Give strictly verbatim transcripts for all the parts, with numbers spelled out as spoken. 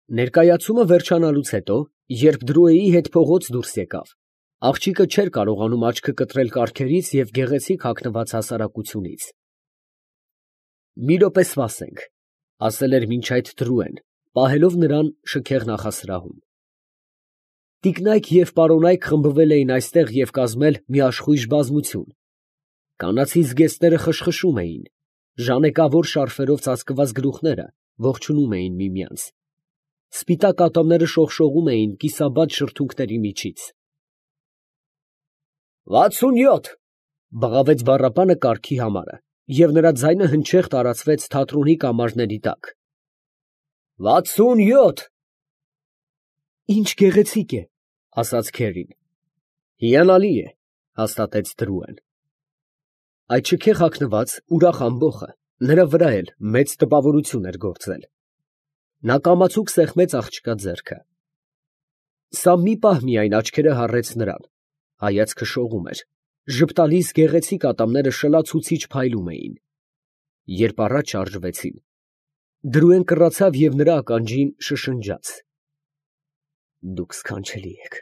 Ներկայացումը վերջանալուց հետո, երբ Դրուեի հետ փողոց դուրս եկավ, աղջիկը չէր կարողանում աչքը կտրել կառքերից և գեղեցիկ հագնված հասարակությունից։ ֊ Մի րոպե սպասենք, ֊ ասել էր մինչ այդ Դրուեն, պահելով նրան շքեղ նախասրահում։ Տիկնայք և պարոնայք խմբվել էին այստեղ և կազմել մի աշխույժ բազմություն. կանացի զգեստները խշխշում էին, ժանեկավոր շարֆերով ծածկված գլուխները ողջունում էին միմյանց, սպիտակ ատամները շողշողում էին կիսաբաց շրթունքների միջից։ ֊ Վաթսունյոթ, ֊ բղավեց բառապանը կարգի համարը, և նրա ձայնը հնչեղ տարածվեց թատրոնի կամարների տակ։ ֊ Վաթսունյոթ… ֊ Ի՜նչ գեղեցիկ է, ֊ ասաց քերին։ ֊ Հիանալի է, ֊ հաստատեց Դրուեն։ Այդ շքեղ հագնված, ուրախ ամբոխը նրա վրա էլ մեծ տպավորություն էր գործել։ Նա կամացուկ սեղմեց աղջկա ձեռքը։ Սա մի պահ միայն աչքերը հառեց նրան, հայացքը շողում էր, ժպտալից գեղեցիկ ատամները շլացուցիչ փայլում էին։ Երբ առաջ շարժվեցին, Դրուեն կռացավ և նրա ականջին շշնջաց. «Դուք սքանչելի եք»։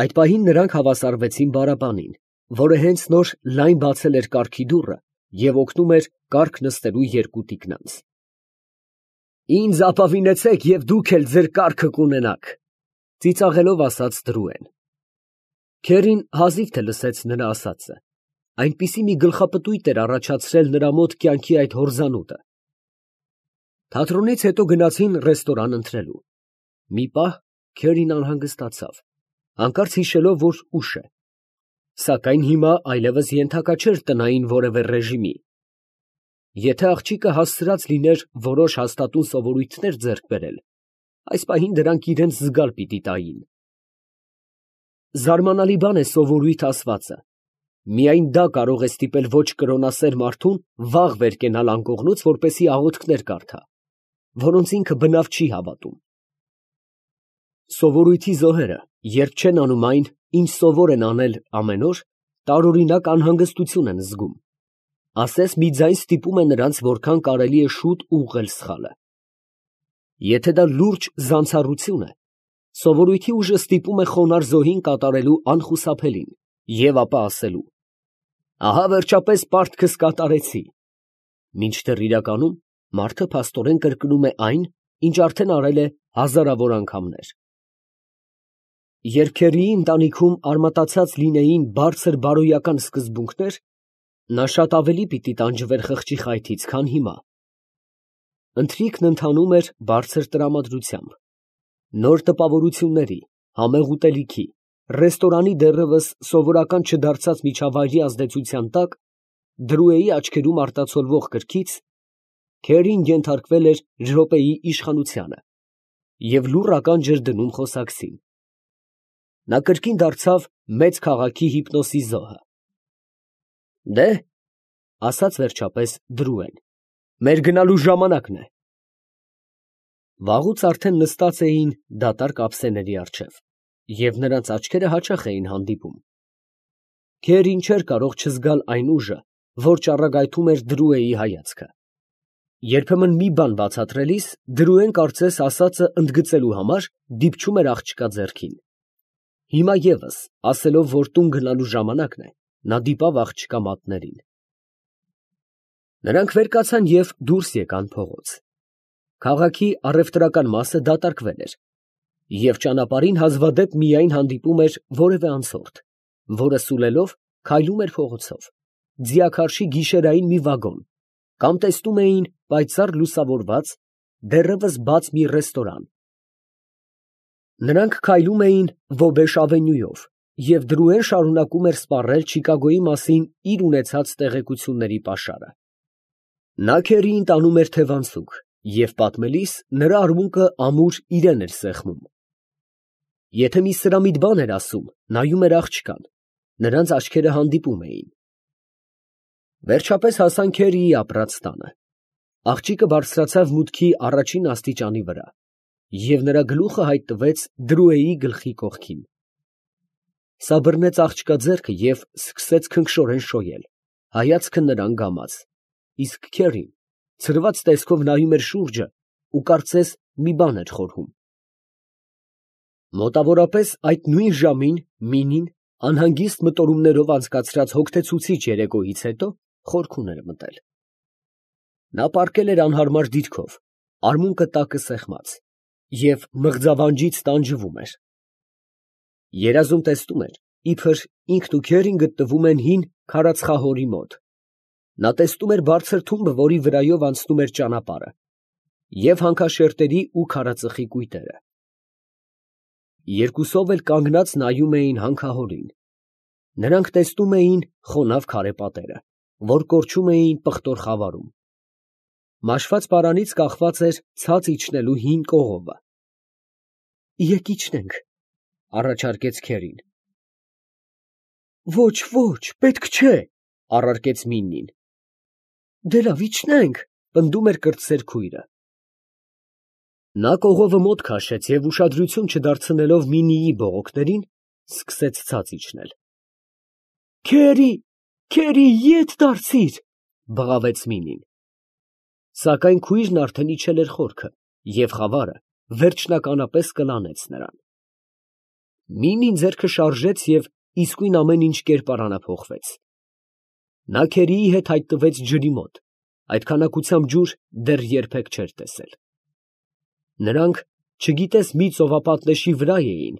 Այդ պահին նրանք հավասարվեցին բառապանին, որը հենց նոր լայն բացել էր կառքի դուռը և օգնում էր կառք նստելու երկու տիկնանց։ ֊ Ինձ ապավինեցեք, և դուք էլ ձեր կառքը կունենաք, ֊ ծիծաղելով ասաց Դրուեն։ Քերին հազիվ թե լսեց նրա ասածը, այնպիսի մի գլխապտույտ էր առաջացրել նրա մոտ կյանքի այդ հորձանուտը։ Թատրոնից հետո գնացին ռեստորան ընթրելու։ Մի պահ Քերին անհանգստացավ, հանկարծ հիշելով, որ ուշ է, սակայն հիմա այլևս ենթակա չէր տնային որևէ ռեժիմի։ Եթե աղջիկը հասցրած լիներ որոշ հաստատուն սովորույթներ ձեռք բերել, այս պահին դրանք իրան զգալ պիտի տային։ Զարմանալի բան է սովորույթ ասվածը. միայն դա կարող է ստիպել ոչ կրոնասեր մարդուն վաղ վեր կենալ անկողնուց, որպեսզի աղոթքներ կարդա, որոնց ինքը բնավ չի հավատում։ Սովորույթի զոհերը, երբ չեն անում այն, ինչ սովոր են անել ամեն օր, տարօրինակ անհանգստություն են զգում, ասես մի ձայն ստիպում է նրանց որքան կարելի է շուտ ուղղել սխալը։ Եթե դա լուրջ զանցառություն է, սովորույթի ուժը ստիպում է խոնարհ զոհին կատարելու անխուսափելին և ապա ասելու. «Ահա վերջապես պարտքս կատարեցի», մինչդեռ իրականում մարդը փաստորեն կրկնում է այն, ինչ արդեն արել է հազարավոր անգամներ։ Երբ Քերիի ընտանիքում արմատացած լինեին բարձր բարոյական սկզբունքներ, նա շատ ավելի պիտի տանջվեր խղճի խայթից, քան հիմա։ Ընթրիքն ընթանում էր բարձր տրամադրությամբ։ Նոր տպավորությունների, համեղ ուտելիքի, ռեստորանի դեռևս սովորական չդարձած միջավայրի ազդեցության տակ, Դրուեի աչքերում արտացոլվող կրքից, Քերին ենթարկվել էր րոպեի իշխանությանը և լուռ ականջ էր դնում խոսակցին։ Նա կրկին դարձավ մեծ քաղաքի հիպնոսի զոհը։ ֊ Դե՛հ, ֊ ասաց վերջապես Դրուեն, ֊ մեր գնալու ժամանակն է։ Վաղուց արդեն նստած էին դատարկ ափսեների առջև, և նրանց աչքերը հաճախ էին հանդիպում։ Քերին չէր կարող չզգալ այն ուժը, որ ճառագայթում էր Դրուեի հայացքը։ Երբեմն մի բան բացատրելիս Դրուեն կարծես ասածը ընդգծելու համար դիպչում էր աղջկա ձեռքին։ Հիմա ևս, ասելով, որ տուն գնալու ժամանակն է, նա դիպավ աղջկա մատներին։ Նրանք վեր կացան և դուրս եկան փողոց։ Քաղաքի առևտրական մասը դատարկվել էր, և ճանապարհին հազվադեպ միայն հանդիպում էր որևէ անցորդ, որը սուլելով քայլում էր փողոցով, ձիաքարշի գիշերային մի վագոն, կամ տեսնում էին պայծառ լուսավորված, դեռևս բաց մի ռեստորան։ Նրանք քայլում էին Ոգեշ ավենյուով, և Դրուեն շարունակում էր սպառել Չիկագոյի մասին իր ունեցած տեղեկությունների պաշարը։ Նա Քերիին տանում էր թևանցուկ, և պատմելիս նրա արմունկը ամուր իրեն էր սեղմում։ Եթե մի սրամիտ բան էր ասում, նայում էր աղջկան, նրանց աչքերը հանդիպում էին։ Վերջապես հասան Քերիի ապրած տանը։ Աղջիկը բարձրացավ մուտքի առաջին աստիճանի վրա, և նրա գլուխը հայտնվեց Դրուեի գլխի կողքին։ Սա բռնեց աղջկա ձեռքը և սկսեց քնքշորեն շոյել, հայացքը նրան գամած, իսկ Քերին ցրված տեսքով նայում էր շուրջը ու կարծես մի բան էր խորհում։ Մոտավորապես այդ նույն ժամին Մինին անհանգիստ մտորումներով անցկացրած հոգնեցուցիչ երեկոյից հետո խորքուն էր մտել։ Նա պառկել էր անհարմար դիրքով, արմունկը տակը սեղմած, և մղձավանջից տանջվում էր։ Երազում տեսնում էր, իբր ինքն ու քերին գտնվում են հին քարածխահորի մոտ։ Նա տեսնում էր բարձր թումբը, որի վրայով անցնում էր ճանապարհը, և հանքաշերտերի ու քարածխի կույտերը։ Երկուսով էլ կանգնած նայում էին հանքահորին։ Նրանք տեսնում էին խոնավ քարե պատերը, որ կորչում էին պղտոր խավարում։ Մաշված պարանից կախված էր ցած իջնելու հին կողովը։ ֊ Եկ իջնենք, ֊ առաջարկեց քերին։ ֊ Ոչ, ոչ, պետք չէ, ֊ առարկեց Մինին։ ֊ Դե լավ, իջնենք, ֊ պնդում էր կրտսեր քույրը։ Նա կողովը մոտ քաշեց և, ուշադրություն չդարձնելով Մինիի բողոքներին, սկսեց ցած իջնել։ ֊ Քերի, քերի, ետ դարձիր, ֊ բղավեց Մինին։ Սակայն քույրն արդեն իջել էր խորքը, և խավարը վերջնականապես կլանեց նրան։ Մինին ձեռքը շարժեց և իսկույն ամեն ինչ կերպարանափոխվեց։ Նա քերիի հետ հայտնվեց ջրի մոտ, այդ քանակությամբ ջուր դեռ երբեք չէր տեսել։ Նրանք չգիտես մի ծովապատնեշի վրա էին,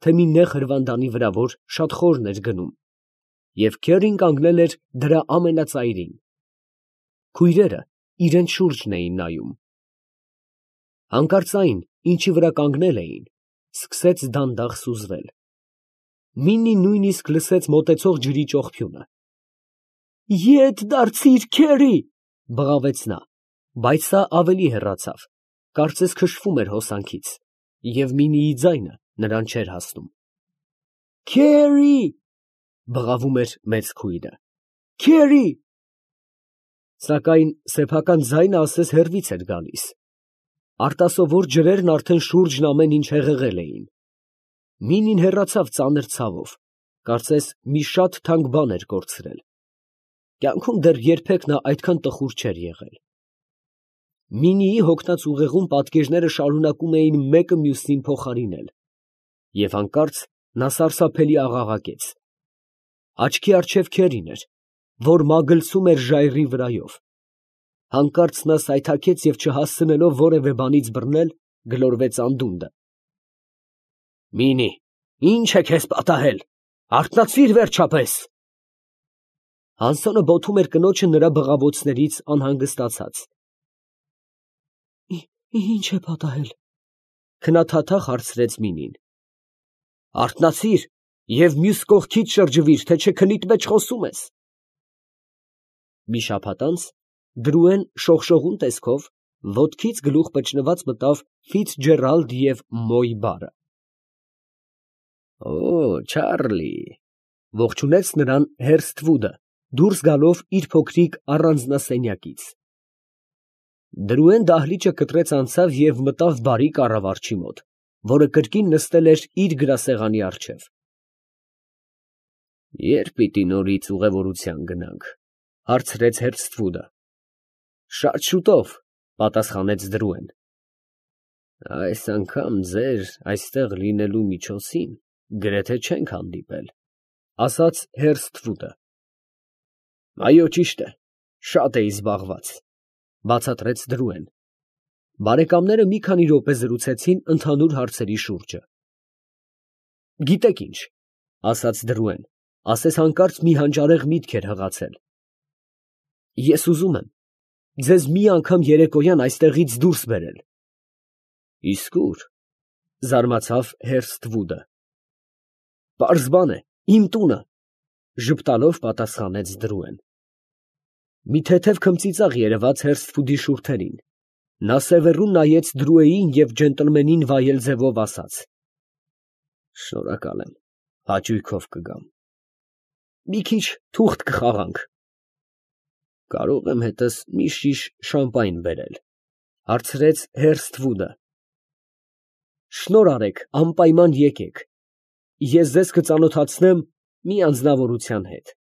թե մի նեղ հրվանդանի վրա, որ շատ խորն էր գնում, և քերին կանգնել էր դրա ամենածայրին։ Քույրերը իրենց շուրջն էին նայում։ Հանկարծ այն, ինչի վրա կանգնել էին, սկսեց դանդաղ սուզվել։ Մինին նույնիսկ լսեց մոտեցող ջրի ճոխփյունը։ ֊ Ետ դարձիր, քերի, ֊ բղավեց նա, բայց սա ավելի հեռացավ, կարծես քշվում էր հոսանքից, և Մինիի ձայնը նրան չէր հասնում։ ֊ Քերի, ֊ բղավում էր մեծ քույրը, ֊ քերի… Սակայն սեփական ձայնը ասես հեռվից էր գալիս։ Արտասովոր ջրերն արդեն շուրջն ամեն ինչ հեղեղել էին։ Մինին հեռացավ ծանր ցավով, կարծես մի շատ թանկ բան էր կորցրել։ Կյանքում դեռ երբեք նա այդքան տխուր չէր եղել։ Մինիի հոգնած ուղեղում պատկերները շարունակում էին մեկը մյուսին փոխարինել, և հանկարծ նա սարսափելի աղաղակեց։ Աչքի առջև քերին էր, որ մագլցում էր ժայռի վրայով։ Հանկարծ նա սայթաքեց և չհասցնելով որևէ բանից բռնել, գլորվեց անդունդը։ ֊ Մինի, ի՞նչ է քեզ պատահել, արթնացի՛ր վերջապես… Հանսոնը բոթում էր կնոջը նրա բղավոցներից անհանգստացած։ ֊ Ի՞նչ է պատահել, ֊ քնաթաթախ հարցրեց Մինին։ ֊ Արթնացի՛ր և մյուս կողքից շրջվի՛ր, թե չէ քնիդ մեջ խոսում ես… Մի շաբաթ անց Դրուեն շողշողուն տեսքով ոտքից գլուխ պճնված մտավ Ֆիցջերալդ և Մոյ բարը։ ֊ Օ՜, Չարլի, ֊ ողջունեց նրան Հերսթվուդը, դուրս գալով իր փոքրիկ առանձնասենյակից։ Դրուեն դահլիճը կտրեց անցավ և մտավ բարի կառավարչի մոտ, որը կրկին նստել էր իր գրասեղանի առջև։ ֊ Ե՞րբ պիտի նորից ուղևորության գնանք, ֊ հարցրեց Հերսթվուդը։ ֊ Շատ շուտով, ֊ պատասխանեց Դրուեն։ ֊ Այս անգամ ձեր այստեղ լինելու միջոցին գրեթե չենք հանդիպել, ֊ ասաց Հերսթվուդը։ ֊ Այո, ճիշտ է, շատ էի զբաղված, ֊ բացատրեց Դրուեն։ Բարեկամները մի քանի րոպե զրուցեցին ընդհանուր հարցերի շուրջը։ ֊ Գիտեք ինչ, ֊ ասաց Դրուեն, ասես հանկարծ մի հանճարեղ միտք էր հղացել. ես ուզում եմ ձեզ մի անգամ երեկոյան այստեղից դուրս բերել։ ֊ Իսկ ո՞ւր, ֊ զարմացավ Հերսթվուդը։ ֊ Պարզ բան է, իմ տունը, ֊ ժպտալով պատասխանեց Դրուեն։ Մի թեթև քմծիծաղ երևաց Հերսթվուդի շուրթերին. նա սևեռուն նայեց Դրուեին և ջենտլմենին վայել ձևով ասաց. ֊ Շնորհակալ եմ, հաճույքով կգամ։ ֊ Մի քիչ թուղթ կխաղանք։ ֊ Կարող եմ հետս մի շիշ շամպայն բերել, ֊ հարցրեց Հերսթվուդը։ ֊ Շնորհ արեք, անպայման եկեք, ես ձեզ կծանոթացնեմ մի անձնավորության հետ։